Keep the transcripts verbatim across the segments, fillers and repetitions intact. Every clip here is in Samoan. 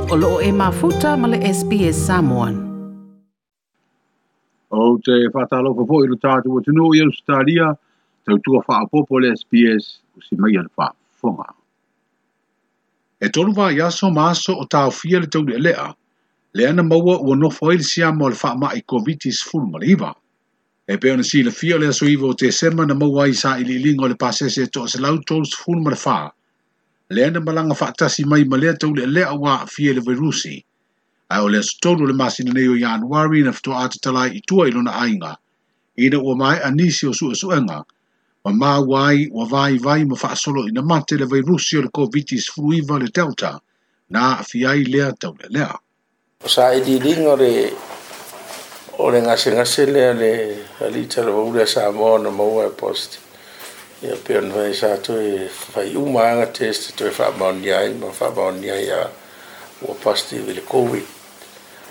O loo e mafuta ma le S B S Samoan. O te whātalofa foi lo tātou atunuu i Australia, tautua whaapopo le S B S o si mai ana whaafonga. E tolu vai aso ma aso o tāofia le tauli elea, le ana maua ua nofo ai le siama o le whaamai COVID sefulu ma le iva. E pe ona silafia o le aso iva o Tesema na maua ai sa iliiliga o le pasese e toaselau tolu sefulu ma le whā. Le ana malanga whaatasi mai ma lea tauli elea ua aafia le virusi. Ai o le aso tolu o le masina nei o Ianuari na fitoa atatala i tua i lona aiga. Ina ua mai anisi o suesuega. Ma maua ai ua vai vai ma faasolo ina mate le virusi o le COVID sefulu iva le Delta. Na aafia ai lea tauli elea. Sa iliiliga o le o le gasegase lea le alii talavou lea Samoa na maua e positive. Ia pe ona fai sa toe fai uma aga test toe faamaonia ai ma faamaonia ai a ua positive i le COVID.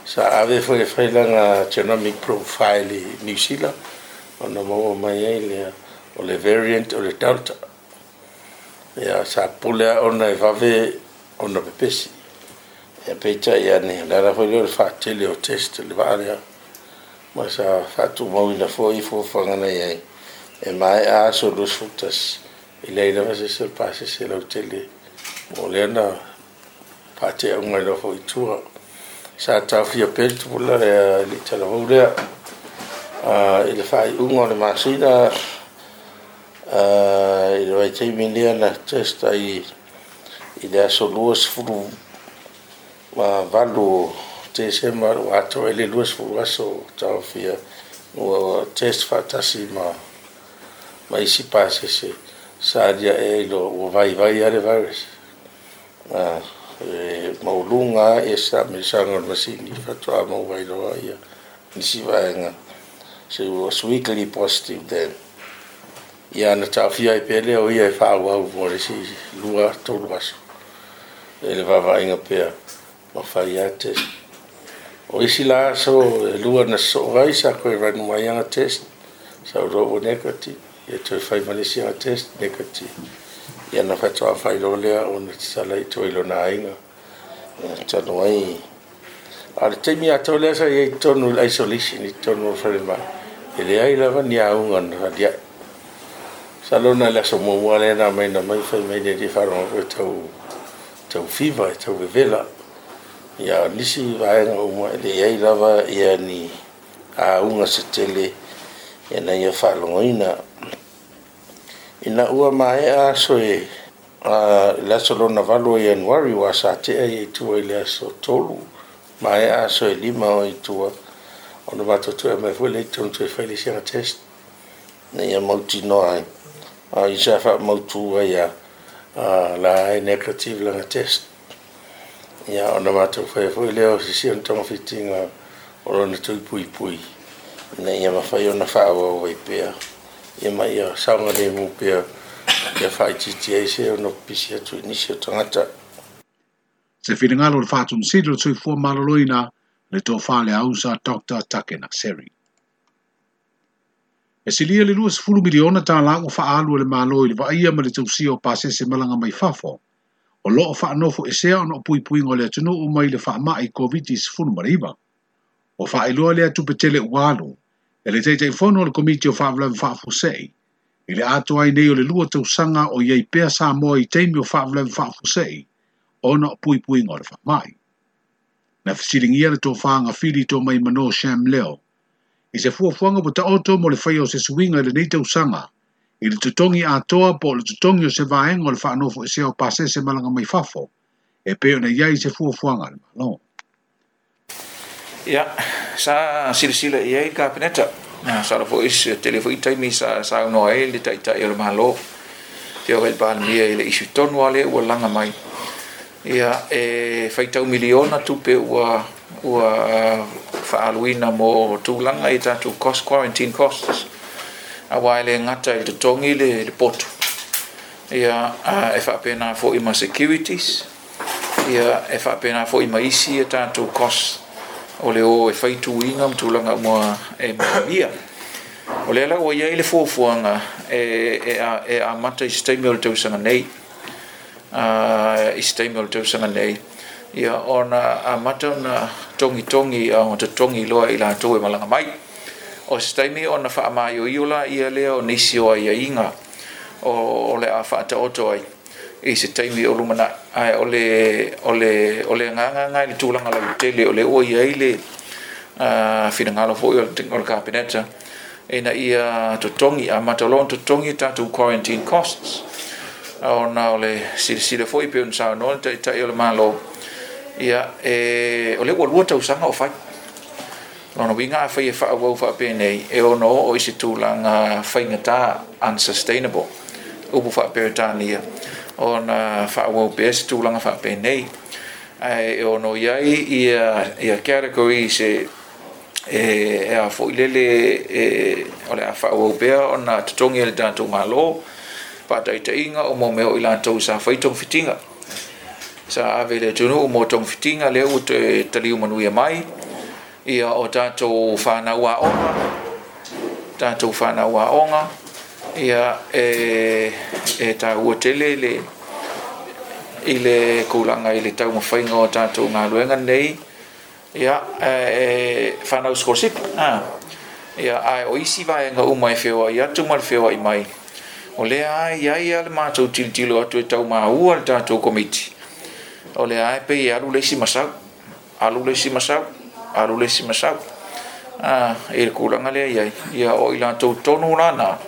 Sa ave foi e fai lana genomic profile i New Zealand ona maua mai ai lea o le variant o le Delta. Ia sa pule a ona e vave ona pepesi. Ia peitai ane, le ala foi lea o le faatele o test le vaa lea. Ma sa faatumauina foi fuafuaga na i ai. E mai a aso luasefulu tasi, i leai lava se isi o le pasese lautele. O lea na faateauga ai loa foi i tua. Sa taofia pea le tupulaga lea i le talavou lea. I le faaiuga o le masina, i le vaitaimi lea na test ai i le aso luasefulu ma valu o Tesema ua atoa ai le luasefulu aso taofia ua test faatasi ma ma isi pasese sa aliae ai loa ua vaivai lava le virus. E mauluga e sa melisaga o le masini faatoa maua ai loa ia nisi vaega. So it was weekly positive then. Ia na taofia ai pea lea o ia e faaauau mo le isi lua tolu aso. E le vaavaaiga pea ma fai lava test. O isi la aso e lua na sosoo ai sa koe run mai aga test. Sa uloa ua negative. Ia toe fai ma le isi aga test negative. Ia na faatoa fai loa lea ona tatala i tua i lona aiga. Ia talu ai. A o le taimi atoa lea sa i ai i totonu i le isolation i totonu o le falemai. E leai lava ni auga na aliae. Sa lona le aso muamua lea na mai na mai fai mai le alii faalogo e tau, tau fever, e tau vevela. Ia nisi vaega uma e leai lava ia ni auga se tele ia na ia faalogoina. Ina ua maea aso e le aso lona valu o Ianuari ua sa tea i tua i le aso tolu. Maea aso e lima o i tua. Ona matou toe mai foi le i tonu toe fai le isi aga test. Na ia mautinoa ai. A i sa faamautu ai a la e negative lana test. Ia ona matou fai foi lea o sisi ona togafitiga o lona tuipuipui. Ina ia mafai ona faaauau ai pea. Ia ma ia saogalemu pea ia faaitiitia ai se ona pipisi atu i nisi o tagata. Se finagalo o le faatonosili o le soifua maloloina le tofa le ausa Doctor Takena Seri. E silia le luasefulu miliona tālā ua faaalu e le Malo i le vaaia ma le tausia o pasese malaga mai fafo. O loo faanofo esea ona o puipuiga o le atunuu mai le faamai COVID sefulu ma le iva. O faailoa lea tupe tele ua alu, e le Taitaifono o le Komiti o Faalavelave Faafuasei, i le atoa ai nei o le lua tausaga o i ai pea Samoa i taimi o faalavelave faafuasei, ona o puipuiga o le faamai. Na fesiligia le tofaga fili to mai mano Sham Leo, i se fuafuaga ua taoto mo le faia o se suiga i lenei tausaga, i le totogi atoa po o le totogi o se vaega o le faanofo esea o pasese malaga mai fafo, e pei ona i ai se fuafuaga a le Malo. Ia, sa silasila i ai le Kapeneta. Sa la foi se tele foi taimi sa saunoa ai le taitai o le Malo. Te o i le Palemia i le isu tonu a lea ua laga mai. Ia, e faitau miliona tupe ua, ua faaluina mo tulaga i tatou cost, quarantine costs. Auā e le gata i le totogi le, le poto. Ia, e faapena foi ma securities. Ia, e faapena foi ma isi e tatou costs o le o e faituiga ma tulaga uma e manuia. O lea la ua iai le fuafuaga e, e, e amata i se taimi o le tausaga nei. Uh, i se taimi o le tausaga nei. Ia ona amata ona togitogi ona totogi loa i latou e malaga mai. O se taimi ona faamaioio laia lea o nisi o aiaiga o le a faataoto ai i se taimi o lumanai. Ae o le o le o le agaga lena i le tulaga lautele o lea ua i ai le finagalo foi o le Kapeneta ina ia totogi, amata loa ona totogi tatou quarantine costs ona o le silasila foi pei ona saunoa le Taitai o le Malo. Ia e o lea ua lua tausaga o fai. Lona uiga afai e faaauau faapenei e ono oo i se tulaga faigata, unsustainable, upu faaperetania ona faaauau pea se tulaga faapenei. Ae e ono i ai ia ia categories e e a foi lele e o le a faaauau pea ona totogi e le tatou Malo faataitaiga o mo mea o i latou sa fai togafitiga sa ave i le atunuu mo togafitiga lea ua toe taliu manuia mai. Ia o tatou fanau aoga, tatou fanau aoga, ia e e taua tele le i le tulaga i le taumafaiga o tatou galuega nei. Ia e fanau sikolasipi a ia ae o isi vaega uma e feoai atu ma le feoai mai o lea e i ai lava le matou tilotilo atu e taumaua le tatou komiti o lea e pei e alu le isi masau, alu le isi masau, alu le isi masau a i le tulaga lea e i ai. Ia o i latou tonu lana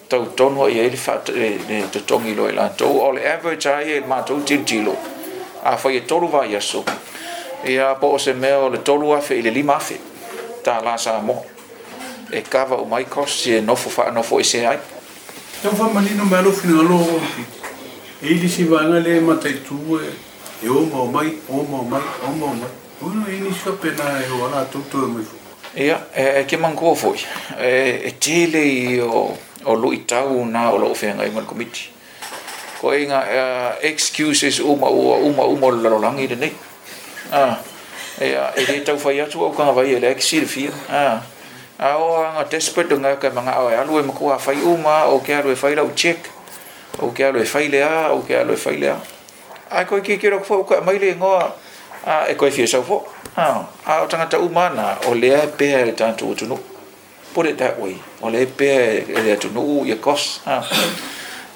tau tonu i ai le fa le totogi loa i latou. O le average ai e matou tilotilo afai e tolu vaiaso ia po o se mea o le tolu afe i le lima afe tālā Samoa e kava umai costs e nofo faanofo ese ai. Tau faamanino mai lou finagalo o e i le isi vaega lea e mataitu e e o ma o mai, o ma o mai, o ma o mai. Ona e nisi faapena e o a latou toe mai foi. Ia, e ke manatua foi, e, e tele i o, o luitau na o loo feagai ma le komiti. Koe ngā uh, excuses uma ua uma uma o le lalolagi lenei. Ah, ia, e le taufai atu au tagavai e leai ke silafia. Ah, a o anga desperate nga ka manga o e alu e matua fai uma o ke alu e fai lau check o ke alu e fai lea o ke alu e fai lea. Ai koe ki ki rok fo ka mai le ngoa a e koe fia sau fo. Ah, a o tangata uma na o lea e pea e le tatou atunuu. Put it that way. O lea e pea e le atunuu ia cost. Ah.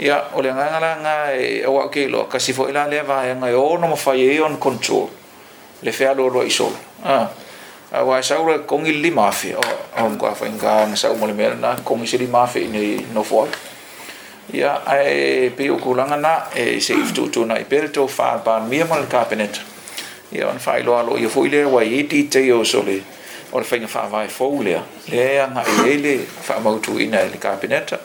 Ia, o le agaga la nga e au au ke iloa, kasi foi la lea vaega e ono mafai ai ona control le fealoaloai i solo. Ah. Aua e sau loa e totogi le lima afe, o o le matua faigata ona sau ma le mea lena, totogi se lima afe i nofo ai. Ia, ae pei o tulaga na e se i fetuutuunai pea le tofa a le Palemia ma le Kapeneta. Ia ona faailoa aloaia foi lea ua i ai details o le o le faiga faavae fou lea, lea e agai ai le faamautuina e le Kapeneta.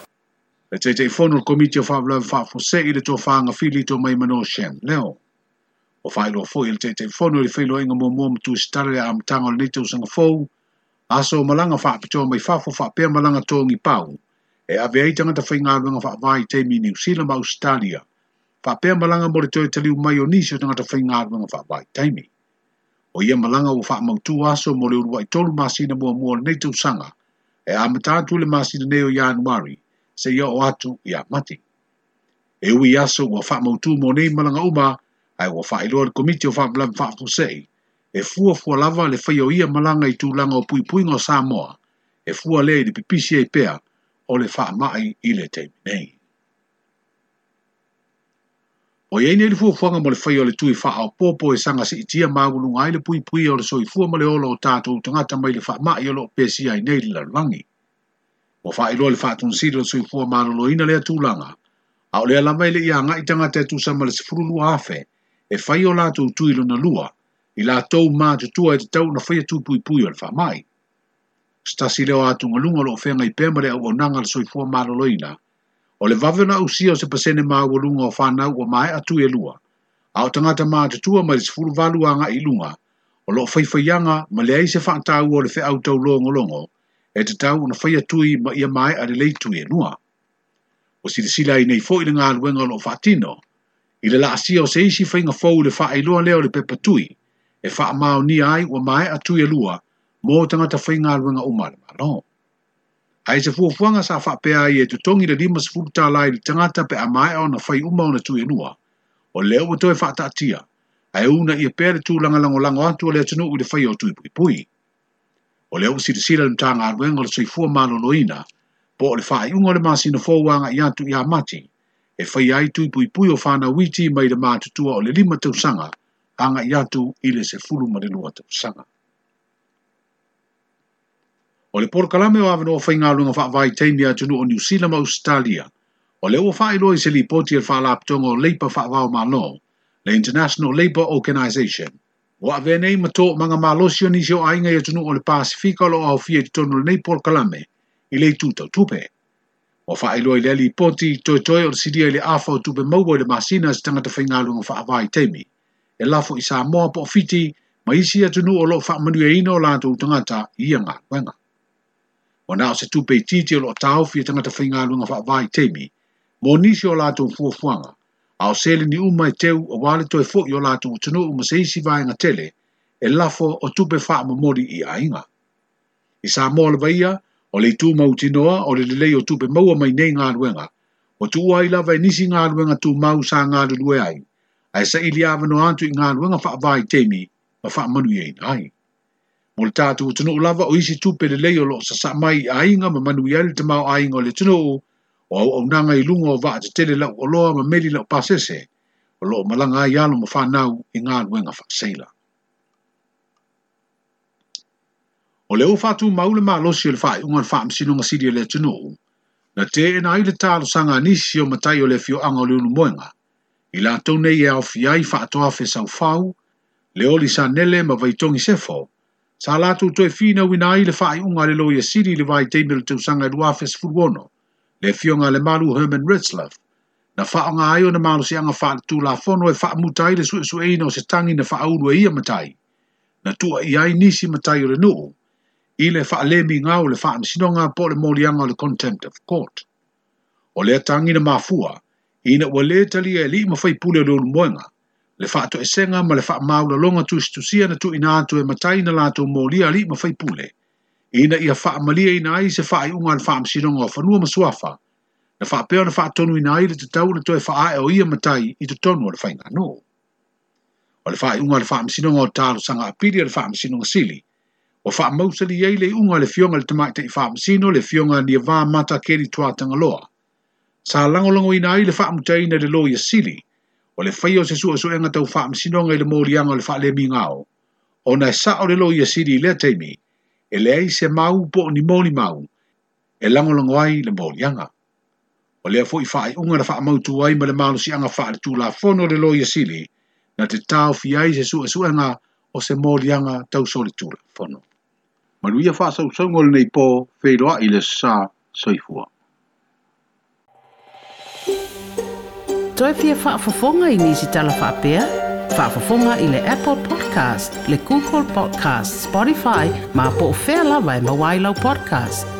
Le Taitaifono o le Komiti o Faalavelave Faafuasei i le tofa Gafili Tomaimano Shem Leo. Ua faailoa foi e le Taitaifono i le feiloaiga muamua ma tusitala i le amataga o lenei tausaga fou, aso o malaga faapitoa mai fafo faapea malaga togi pau e ave ai tagata faigaluega faavae i taimi i Niu Sila ma Ausetalia, faapea malaga mo le toe taliu mai o nisi o tagata faigaluega faavae i taimi. O ia malaga ua faamautu aso mo le uluai tolu masina muamua o lenei tausaga e amata atu i le masina nei o Ianuari seia oo atu ia Mati. E ui i aso ua faamautu mo nei malaga uma, ae ua faailoa e le Komiti o Faalavelave Faafuasei e fuafua lava le faia o ia malaga i tulaga o puipuiga o Samoa e fua lea i le pipisi ai pea o le faamai i le taimi nei. O i ai nei le fuafuaga mo le faia o le tui faaopoopo e saga siitia maualuga ai le puipuia o le soifua ma le ola o tatou tagata mai le faamai o loo pesia ai nei le lalolagi. Ua faailoa le Faatonusili o le Soifua Maloloina lea tulaga, a o lea lava e le i agai tagata e tusa ma le sefulu lua afe e fai o latou tui lona lua i latou matutua e tatau ona faia tui puipui o le faamai. O se tasi lea o atugaluga o loo feagai pea ma le auaunaga a le Soifua Maloloina, o le vave ona ausia o se pasene maualuga o fanau ua maea tui e lua, a o tagata matutua mai le sefulu valu agai i luga o loo faifaiaga ma leai se faataua o le feau taulogologo e tatau ona faia tui ma ia maea lelei tui e lua. Ua silasila ai nei foi le galuega o loo faatino i le laasia o se isi faiga fou i le faailoa lea o le pepa tui e faamaonia ai ua maea tui e lua mo tagata faigaluega uma a le Malo. Ae se fuafuaga sa faapea ai e totogi le limasefulu tālā i le tagata pe a maea ona fai uma ona tui e lua, o lea ua toe faataatia, Ae una ia pea le tulaga lagolago atu o le atunuu i le faia o tui puipui. O lea ua silasila le Matagaluega o le Soifua Maloloina po o le faaiuga o le masina fou agai atu ia Mati e faia ai tui puipui o fanau iti mai le matutua o le lima tausaga agai atu i le sefulu ma le lua tausaga. O le polokalame o avanoa faigaluega faavaitaimi a atunuu o Niu Sila ma Ausetalia, o lea ua faailoa i se lipoti a le Faalapotopotoga o Leipa Faava-o-Malo, le International Labour Organization. Ua avea nei ma toomaga malosi o nisi o aiga i atunuu o le Pasefika o lo o aofia i totonu o lenei polokalame i le itu tau tupe. Ua faailoa i lea lipoti toetoe o le silia i le afa o tupe maua i le masina a se tagata faigaluega faavaitaimi e lafo i Samoa po o Fiti ma isi atunuu o lo o faamanuiaina o latou tagata i ia galuega. Ua na o se tupe itiiti o lo o taofi e tagata faigaluega faavaitaimi mo nisi o latou fuafuaga, a o seleni uma e teu aua le toe foi o latou atunuu ma se isi vaega tele e lafo o tupe faamomoli i aiga. I Samoa lava ia, o le itu mautinoa o le lelei o tupe maua mai nei galuega, ua tuua ai lava e nisi galuega tumau sa galulue ai, ae saili avanoa atu i galuega faavaitaimi ma faamanuiaina ai. Mo le tatou atunuu lava o isi tupe lelei o lo o sasaa mai i aiga ma manuia ai le tamaoaiga o le atunuu, o auaunaga i luga o vaa tetele lau oloa ma meli lau pasese, o lo o malaga ai alo ma fanau i galuega faaseila. O lea ua faatumau le malosi o le faaiuga o le Faamasinoga Sili a le atunuu, na teena ai le talosaga a nisi o matai o le afioaga o Leulumoega, i latou nei e aofia ai Faatoafe Saufau, Leoli Sanele ma Vaitogi Sefo, sa latou toe finauina ai le faaiuga a le Loia Sili i le vaitaimi o le tausaga e lua afe sefulu ono, le afioga a Lemalu Herman Retzlaff, na faaaoga ai ona malosiaga faaletulafono e faamuta ai le suesueina o se tagi na faaulu e ia matai, na tuuaia ai nisi matai o le nuu, i le faalemiga o le faamasinoga po o le moliaga o le contempt of court. O lea tagi na mafua, ina ua lē talia e alii ma faipule o Leulumoega, le faatoesega ma le faamaualaloga tusitusia na tuuina atu e matai na latou molia alii ma faipule, ina ia faamaliaina ai se faaiuga a le Faamasinoga o Fanua ma Suafa, na faapea ona faatonuina ai le tatau ona toe faaee o ia matai i totonu o le faiganuu. O le faaiuga a le Faamasinoga o Talosaga Apili a le Faamasinoga Sili, ua faamausali ai le iuga a le afioga i le Tamaitai Faamasino le afioga Niava Mata Keli Tuatagaloa, sa lagolagoina ai le faamutaina i le Loia Sili, o le faia o se suesuega tau faamasinoga i le moliaga o le faalemigao, ona e sao le Loia Sili i lea taimi, e leai se mau po o ni molimau e lagolago ai le moliaga. O lea foi faaiuga na faamautu ai ma le malosiaga faaletulafono le Loia Sili, na te taofi ai se suesuega o se moliaga tau solitulafono. Manuia faasausauga o lenei po, feiloai le sa soifua. Toe fia faafofoga i nisi tala faapea? Faafofoga i le Apple Podcast, le Google Podcast, Spotify, ma po o fea lava e maua ai lau podcast.